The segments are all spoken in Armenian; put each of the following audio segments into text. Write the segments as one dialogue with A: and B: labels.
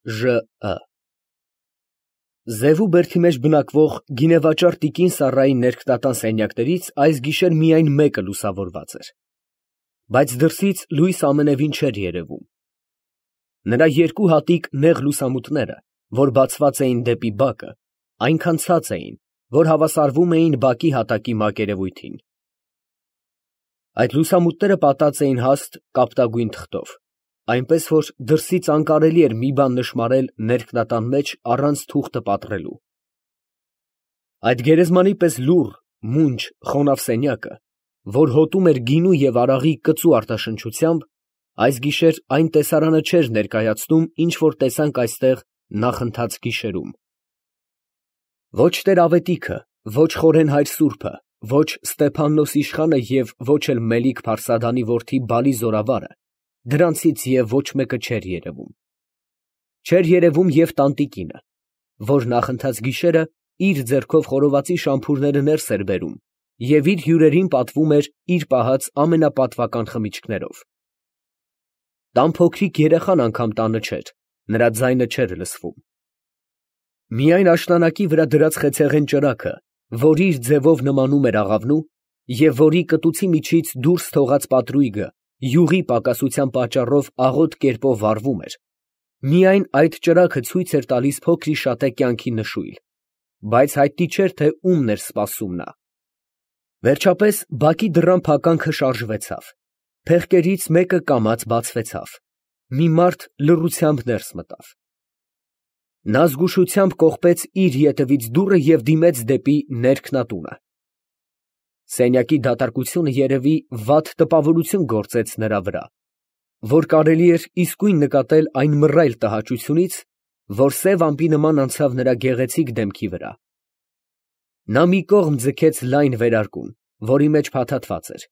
A: Ժ. Զևու բերդի մեջ բնակվող գինեվաճառ տիկին Սառայի ներքնատան սենյակներից այս գիշեր միայն մեկը լուսավորված էր, բայց դրսից լույս ամենևին չէր երևում. նրա երկու հատիկ նեղ լուսամուտները, որ բացված էին դեպի բակը, այնքան ցած էին, որ հավասարվում էին բակի հատակի մակերևույթին. այդ լուսամուտները պատած էին հաստ կապտագույն թղթով, այնպես որ դրսից անկարելի էր մի բան նշմարել ներքնատան մեջ առանց թուղթը պատռելու։ Այդ գերեզմանի պես լուռ, մունջ, խոնավ սենյակը, որ հոտում էր գինու և արաղի կծու արտաշնչությամբ, այս գիշեր այն տեսարանը չէր ներկայացնում, ինչ որ տեսանք այստեղ նախընթաց գիշերում։ Ոչ Տեր֊Ավետիքը, ոչ Խորեն հայր սուրբը, ոչ Ստեփաննոս իշխանը և ոչ էլ Մելիք Փարսադանի որդի Բալի զորավարը, դրանցից և ոչ մեկը չէր երևում։ Չէր երևում և տանտիկինը, որ նախընթաց գիշերը իր ձեռքով խորովածի շամփուրները ներս էր բերում և իր հյուրերին պատվում էր իր պահած ամենապատվական խմիչքներով։ Տան փոքրիկ երեխան անգամ տանը չէր, նրա ձայնը չէր լսվում։ Միայն աշնանակի վրա դրած խեցեղեն ճրագը, որ իր ձևով նմանում էր աղավնու, և որի կտուցի միջից դուրս թողած պատրույգը յուղի պակասության պատճառով աղոտ կերպով վառվում էր, միայն այդ ճրագը ցույց էր տալիս փոքրիշատե կյանքի նշույլ, բայց հայտնի չէր, թե ումն էր սպասում նա։ Վերջապես բակի դռան փականքը շարժվեցավ, փեղկերից մեկը կամաց բացվեցավ, մի մարդ լռությամբ ներս մտավ։ Նա զգուշությամբ կողպեց իր ետևից դուռը և դիմեց դեպի ներքնատունը։ Սենյակի դատարկությունը երևի վատ տպավորություն գործեց նրա վրա, որ կարելի էր իսկույն նկատել այն մռայլ տհաճությունից, որ սև ամպի նման անցավ նրա գեղեցիկ դեմքի վրա։ Նա մի կողմ ձգեց լայն վերարկուն, որի մեջ փաթաթված էր,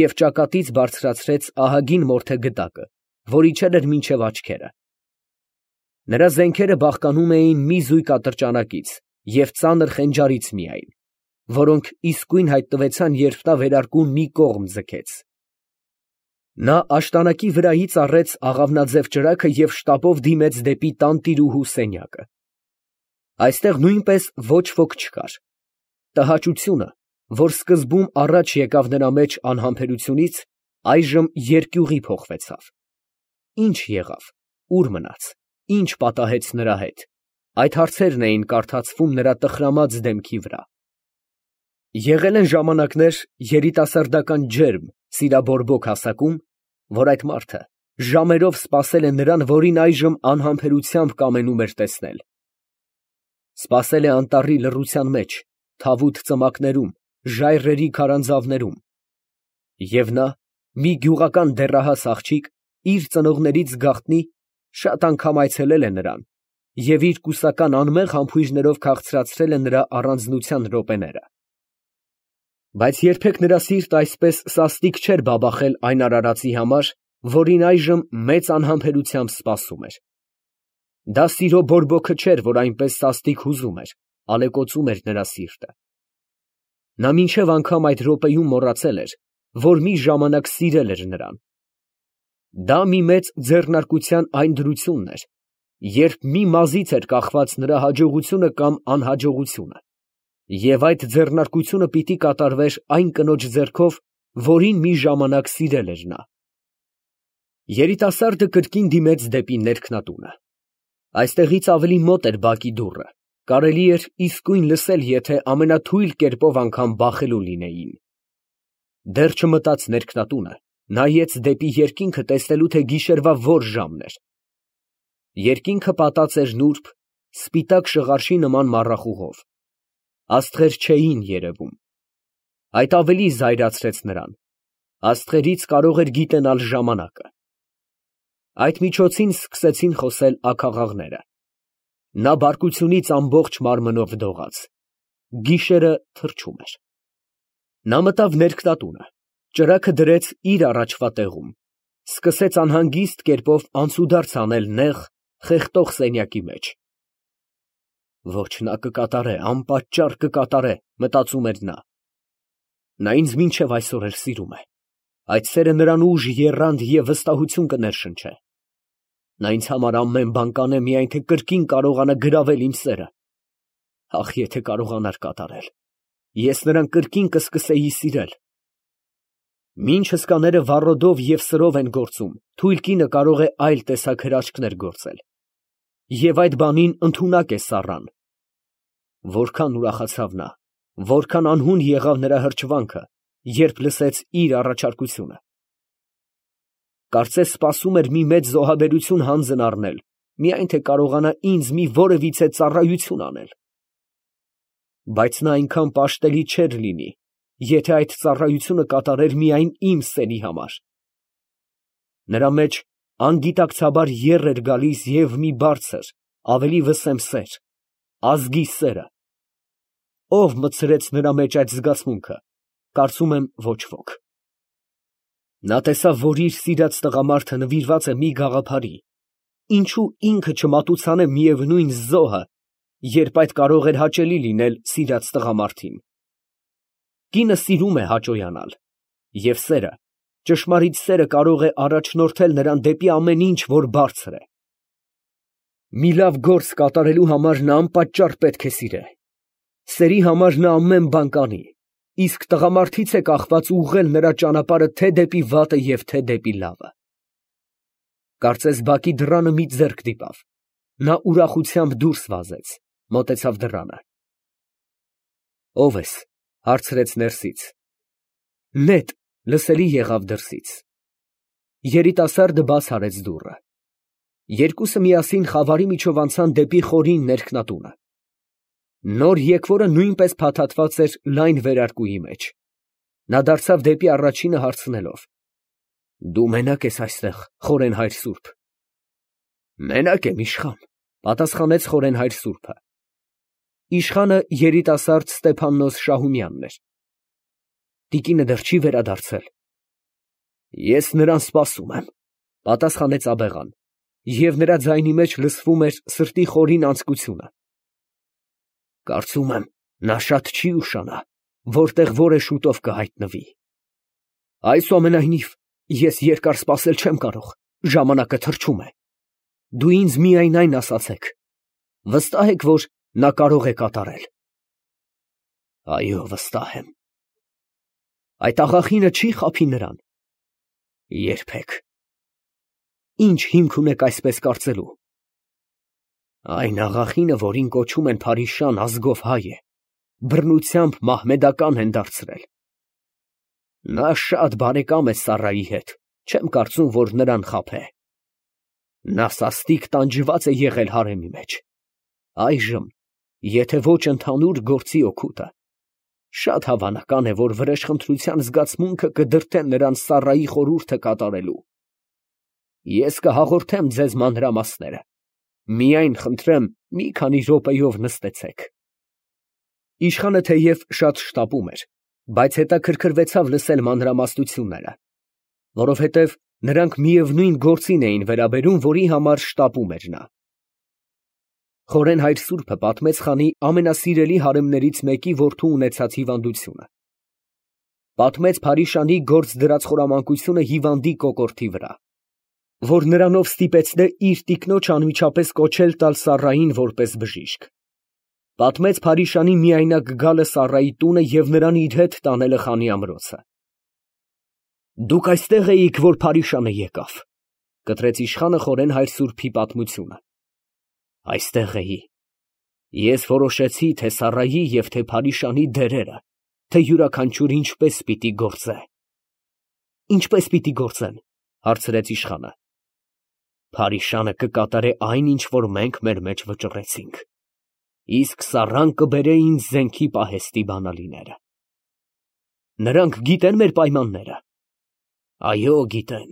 A: և ճակատից բարձրացրեց ահագին մորթե գդակը, որ իջել էր մինչև աչքերը։ Նրա զենքերը բաղկանում էին մի զույգ ատրճանակից և ծանր խենջարից միայն, որոնք իսկույն հայտնվեցան, երբ նա վերարկուն մի կողմ ձգեց։ Նա աշտանակի վրայից առեց աղավնաձև ճրագը և շտապով դիմեց դեպի տանտիրուհու սենյակը։ Այստեղ նույնպես ոչ ոք չկար։ Տհաճությունը, որ սկզբում առաջ եկավ նրա մեջ անհամբերությունից, այժմ երկյուղի փոխվեցավ։ Ի՞նչ եղավ, ուր մնաց, ի՞նչ պատահեց նրա հետ, այդ հարցերն էին կարդացվում նրա տխրամած դեմքի վրա։ Եղել են ժամանակներ երիտասարդական ջերմ, սիրաբորբոք հասակում, որ այդ մարդը ժամերով սպասել է նրան, որին այժմ անհամբերությամբ կամենում էր տեսնել։ Սպասել է անտառի լռության մեջ, թավուտ ծմակներում, ժայռերի քարանձավներում։ Եվ նա, մի գյուղական դեռահաս աղջիկ, իր ծնողներից գաղտնի, շատ անգամ այցելել է նրան և իր կուսական անմեղ համբույրներով քաղցրացրել է նրա առանձնության րոպեները։ Բայց երբեք նրա սիրտը այսպես սաստիկ չէր բաբախել այն արարածի համար, որին այժմ մեծ անհամբերությամբ սպասում էր։ Դա սիրո բորբոքը չէր, որ այնպես սաստիկ հուզում էր, ալեկոծում էր նրա սիրտը։ Նա մինչև անգամ այդ րոպեում մոռացել էր, որ մի ժամանակ սիրել էր նրան։ Դա մի մեծ ձեռնարկության այն դրությունն էր, երբ մի մազից էր կախված նրա հաջողությունը կամ անհաջողությունը, և այդ ձեռնարկությունը պիտի կատարվեր այն կնոջ ձեռքով, որին մի ժամանակ սիրել էր նա։ Երիտասարդը կրկին դիմեց դեպի ներքնատունը։ Այստեղից ավելի մոտ էր բակի դուռը, կարելի էր իսկույն լսել, եթե ամենաթույլ կերպով անգամ բախելու լինեին։ Դեռ չմտած ներքնատունը, նայեց դեպի երկինքը տեսնելու, թե գիշերվա որ ժամն էր։ Երկինքը պատած էր նուրբ, սպիտակ շղարշի նման մառախուղով։ Աստղեր չէին երևում։ Այդ ավելի զայրացրեց նրան. աստղերից կարող էր գիտենալ ժամանակը։ Այդ միջոցին սկսեցին խոսել աքաղաղները։ Նա բարկությունից ամբողջ մարմնով դողաց։ Գիշերը թրջում էր։ Նա մտավ ներքնատունը, ճրագը դրեց իր առաջվա տեղում, սկսեց անհանգիստ կերպով անցուդարձ անել նեղ, խեղդող սենյակի մեջ։ Ոչ, նա կկատարե, անպատճառ կկատարե, մտածում էր նա։ Նա ինձ մինչև այսօր էլ սիրում է։ Այդ սերը նրան ուժ, եռանդ և վստահություն կներշնչե։ Նա ինձ համար ամեն բան կանե, միայն թե կրկին կարողանա գրավել իմ սերը։ Ախ, եթե կարողանար կատարել, ես նրան կրկին կսկսեի սիրել։ Մինչ հսկաները վառոդով և սրով են գործում, թույլ կինը կարող է այլ տեսակ հրաշքներ գործել։ Եվ այդ բանին ընդունակ է Սառան։ Որքան ուրախացավ նա, որքան անհուն եղավ նրա հրճվանքը, երբ լսեց իր առաջարկությունը։ Կարծես սպասում էր մի մեծ զոհաբերություն հանձն առնել, միայն թե կարողանա ինձ մի որևիցե ծառայություն անել։ Բայց նա այնքան պաշտելի չէր լինի, եթե այդ ծառայությունը կատարեր միայն իմ սերի համար։ Նրա մեջ անգիտակցաբար եռ էր գալիս և մի բարձր, ավելի վսեմ սեր, ազգի սերը։ Ո՞վ մտցրեց նրա մեջ այդ զգացմունքը, կարծում եմ ոչ ոք։ Նա տեսավ, որ իր սիրած տղամարդը նվիրված է մի գաղափարի, ինչու ինքը չմատուցանե միևնույն զոհը, երբ այդ կարող էր հաճելի լինել սիրած տղամարդին։ Կինը սիրում է հաճոյանալ, և սերը, ճշմարիտ սերը կարող է առաջնորդել նրան դեպի ամեն ինչ, որ բարձր է։ Մի լավ գործ կատարելու համար նա անպատճառ պետք է սիրե։ Սերի համար նա ամեն բան կանի, իսկ տղամարդից է կախված ուղղել նրա ճանապարհը թե դեպի վատը և թե դեպի լավը։ Կարծես բակի դռանը մի ձեռք դիպավ։ Նա ուրախությամբ դուրս վազեց, մոտեցավ դռանը։ Ո՞վ ես, հարցրեց ներսից։ Նետ, լսելի եղավ դրսից։ Երիտասարդը բաց արեց դուռը։ Երկուսը միասին խավարի միջով անցան դեպի խորին ներքնատունը։ Նոր եկվորը նույնպես փաթաթված էր լայն վերարկուի մեջ։ Նա դարձավ դեպի առաջինը հարցնելով. Դու մենակ ես այստեղ, խորենհայր սուրբ։ Մենակ եմ, իշխան, պատասխանեց խորենհայր սուրբը։ Իշխանը երիտասարդ Ստեփաննոս Շահումյանն էր։ Տիկինը դեռ չի վերադարձել։ Ես նրան սպասում եմ, պատասխանեց աբեղան, և նրա ձայնի մեջ լսվում էր սրտի խորին անձկությունը։ Կարծում եմ, նա շատ չի ուշանա, որտեղ որ է շուտով կհայտնվի։ Այսուամենայնիվ, ես երկար սպասել չեմ կարող, ժամանակը թռչում է։ Դու ինձ միայն այն ասացեք, վստահ եք, որ նա կարող է կատարել։ Այո, վստահ եմ։ Այդ աղախինը չի խաբի նրան։ Երբեք։ Ինչ հիմք ունեք այսպես կարծելու։ Այն աղախինը, որին կոչում են Փարիշան, ազգով հայ է, բռնությամբ մահմեդական են դարձրել։ Նա շատ բարեկամ է Սառայի հետ, չեմ կարծում, որ նրան խաբե։ Նա սաստիկ տանջված է եղել հարեմի մեջ։ Այժմ, եթե ոչ ընդհանուր գործի օգուտը, շատ հավանական է, որ վրեժխնդրության զգացմունքը կդրդե նրան Սառայի խորհուրդը կատարելու։ Ես կհաղորդեմ ձեզ մանրամասները, միայն խնդրեմ մի քանի րոպեով նստեցեք։ Իշխանը թեև շատ շտապում էր, բայց հետաքրքրվեցավ լսել մանրամասնությունները, որովհետև նրանք միևնույն գործին էին վերաբերում, որի համար շտապում էր նա։ Խորենհայր սուրբը պատմեց խանի ամենասիրելի հարեմներից մեկի որդու ունեցած հիվանդությունը։ Պատմեց Փարիշանի գործ դրած խորամանկությունը հիվանդի կոկորդի վրա, որ նրանով ստիպեցնե իր տիկնոջ անմիջապես կոչել տալ Սառային որպես բժիշկ։ Պատմեց Փարիշանի միայնակ գալը Սառայի տունը և նրան իր հետ տանելը խանի ամրոցը։ Դուք այստեղ էիք, որ Փարիշանը եկավ, կտրեց իշխանը խորենհայր սուրբի պատմությունը։ Այստեղ էի։ Ես որոշեցի, թե Սառայի և թե Փարիշանի դերերը, թե յուրաքանչյուր ինչպես պիտի գործե։ Ինչպես պիտի գործեն, հարցրեց իշխանը։ Փարիշանը կկատարե այն, ինչ որ մենք մեր մեջ վճռեցինք, իսկ Սառան կբերե ինձ զենքի պահեստի բանալիները։ Նրանք գիտեն մեր պայմանները։ Այո, գիտեն։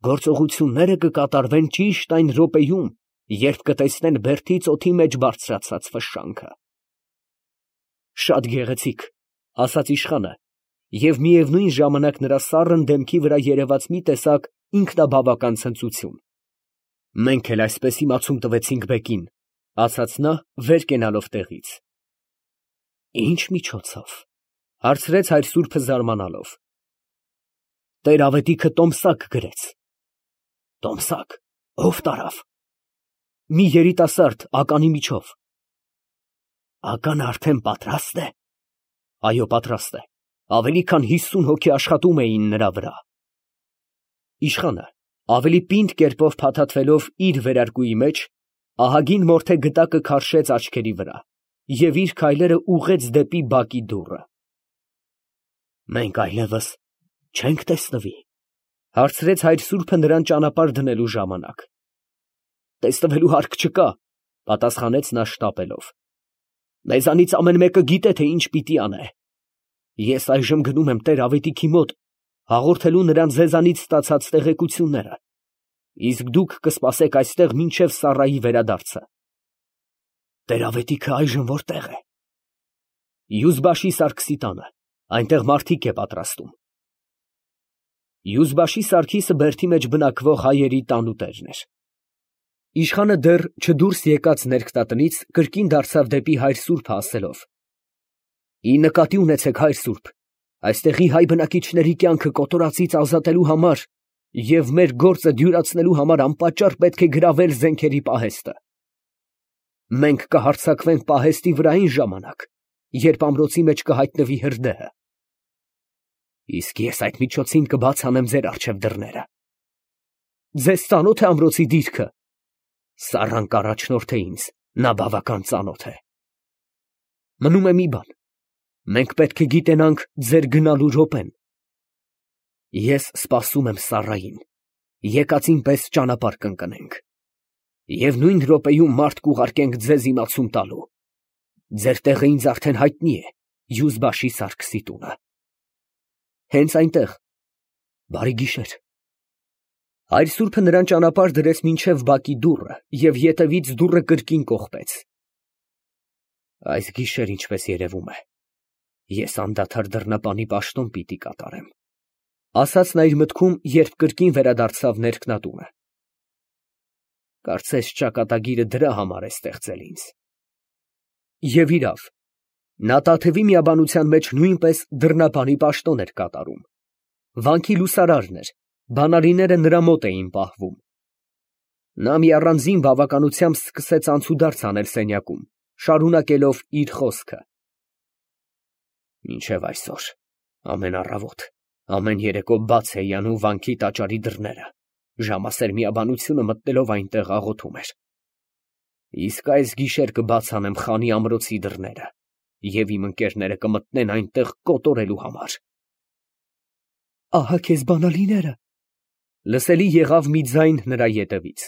A: Գործողությունները կկատարվեն ճիշտ այն րոպեում, երբ կտեսնեն բերդից օդի մեջ բարձրացած ֆշշանքը։ Շատ գեղեցիկ, ասաց իշխանը, և միևնույն ժամանակ նրա սառն դեմքի վրա երևաց մի տեսակ ինքնաբավական ցնծություն։ Մենք էլ այսպես իմացում տվեցինք բեկին, ասաց նա, վեր կենալով տեղից։ Ինչ միջոցով, հարցրեց հայր սուրբը զարմանալով։ Տեր ավետիքը տոմսակ գրեց։ Տոմսակ, Ո՞վ տարավ։ Մի երիտասարդ ականի միջով։ Ականը արդեն պատրաստ է։ Այո, պատրաստ է։ Ավելի քան 50 հոգի աշխատում էին նրա վրա։ Իշխանը, ավելի պինդ կերպով փաթաթվելով իր վերարկուի մեջ, ահագին մորթե գտակը քարշեց աչքերի վրա և իր քայլերը ուղղեց դեպի բակի դուռը։ Մենք այլևս չենք տեսնվի, հարցրեց հայր սուրբը նրան ճանապարհ դնելու ժամանակ։ Տեսնվելու հարկ չկա, պատասխանեց նա շտապելով։ Մեզանից ամեն մեկը գիտե, թե ինչ պիտի անե։ Ես այժմ գնում եմ Տեր-Ավետիքի մոտ, հաղորդելու նրան ձեզանից ստացած տեղեկությունները, իսկ դուք կսպասեք այստեղ մինչև Սառայի վերադարձը։ Տեր-Ավետիքը այժմ որտեղ է։ Յուզբաշի Սարգսի տանը, այնտեղ մարդիկ է պատրաստում։ Յուզբաշի Սարգիսը Բերդի մեջ բնակվող հայերի տանուտերն էր։ Իշխանը դեռ չդուրս եկած ներքտատնից կրկին դարձավ դեպի հայր սուրբը ասելով. «Ի նկատի ունեցեք, հայր սուրբ, այստեղի հայ բնակիչների կյանքը կոտորածից ազատելու համար և մեր գործը դյուրացնելու համար անպատճառ պետք է գրավել զենքերի պահեստը։ Մենք կհարձակվենք պահեստի վրա այն ժամանակ, երբ ամրոցի մեջ կհայտնվի հրդեհը։ Իսկ ես այդ միջոցին կբաց անեմ ձեր առջև դռները։ Ձեզ ծանո՞թ է ամրոցի դիրքը։ Սառան կառաջնորդ է ինձ, նա բավական ծանոթ է։ Մնում է մի բան, մենք պետք է գիտենանք ձեր գնալու րոպեն։ Ես սպասում եմ Սառային, եկածին պես ճանապարհ կընկնենք, և նույն րոպեում մարդ կուղարկենք ձեզ իմացում տալու։ Ձեր տեղը ինձ արդեն հայտնի է, Յուզբաշի Սարգսի տունը։ Հենց այնտեղ։ Բարի գիշեր։ Հայր սուրբը նրան ճանապարհ դրեց մինչև բակի դուռը և ետևից դուռը կրկին կողպեց։ Այս գիշեր, ինչպես երևում է, ես անդադար դռնապանի պաշտոն պիտի կատարեմ, ասաց նա իր մտքում, երբ կրկին վերադարձավ ներքնատունը։ Կարծես ճակատագիրը դրա համար է ստեղծել ինձ։ Եվ իրավ, նա Տաթևի միաբանության մեջ նույնպես դռնապանի պաշտոն էր կատարում։ Վանքի լուսարարն էր, բանալիները նրա մոտ էին պահվում։ Նա մի առանձին բավականությամբ սկսեց անցուդարձ անել սենյակում, շարունակելով իր խոսքը. Մինչև այսօր, ամեն առավոտ, ամեն երեկո բաց էի անում վանքի տաճարի դռները, ժամասեր միաբանությունը մտնելով այնտեղ աղոթում էր։ Իսկ այս գիշեր կբաց անեմ խանի ամրոցի դռները, և իմ ընկերները կմտնեն այնտեղ կոտորելու համար։ Ահա քեզ բանալիները։ Լսելի եղավ մի ձայն նրա ետևից։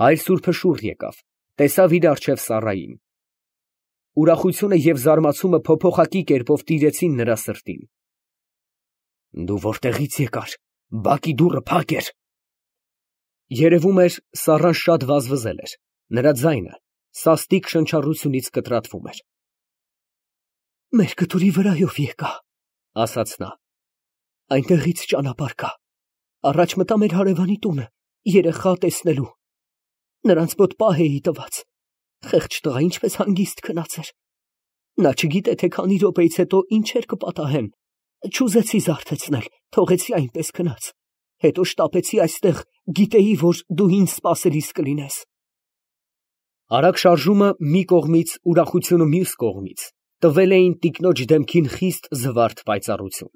A: Հայր սուրբը շուռ եկավ, տեսավ իր առջև Սառային։ Ուրախությունը և զարմացումը փոփոխակի կերպով տիրեցին նրա սրտին։ Դու որտեղից եկար, բակի դուռը փակ էր։ Երևում էր, Սառան շատ վազվզել էր, նրա ձայնը սաստիկ շնչառությունից կտրատվում էր։ Մեր կտուրի վրայով եկա, ասաց նա։ Այնտեղից ճանապարհ կա։ Առաջ մտա մեր հարևանի տունը, երեխա տեսնելու։ Նրանց մոտ պահ էի տված։ Խեղճ տղա ինչպես հանգիստ քնած էր։ Նա չգիտե, թե քանի րոպեից հետո ինչեր կպատահեն։ Չուզեցի զարթեցնել, թողեցի այնպես քնած։ Հետո շտապեցի այստեղ, գիտեի, որ դու ինձ սպասելիս կլինես։ Արագ շարժումը մի կողմից, ուրախությունը մյուս կողմից տվել էին տիկնոջ դեմքին խիստ զվարթ պայծառություն։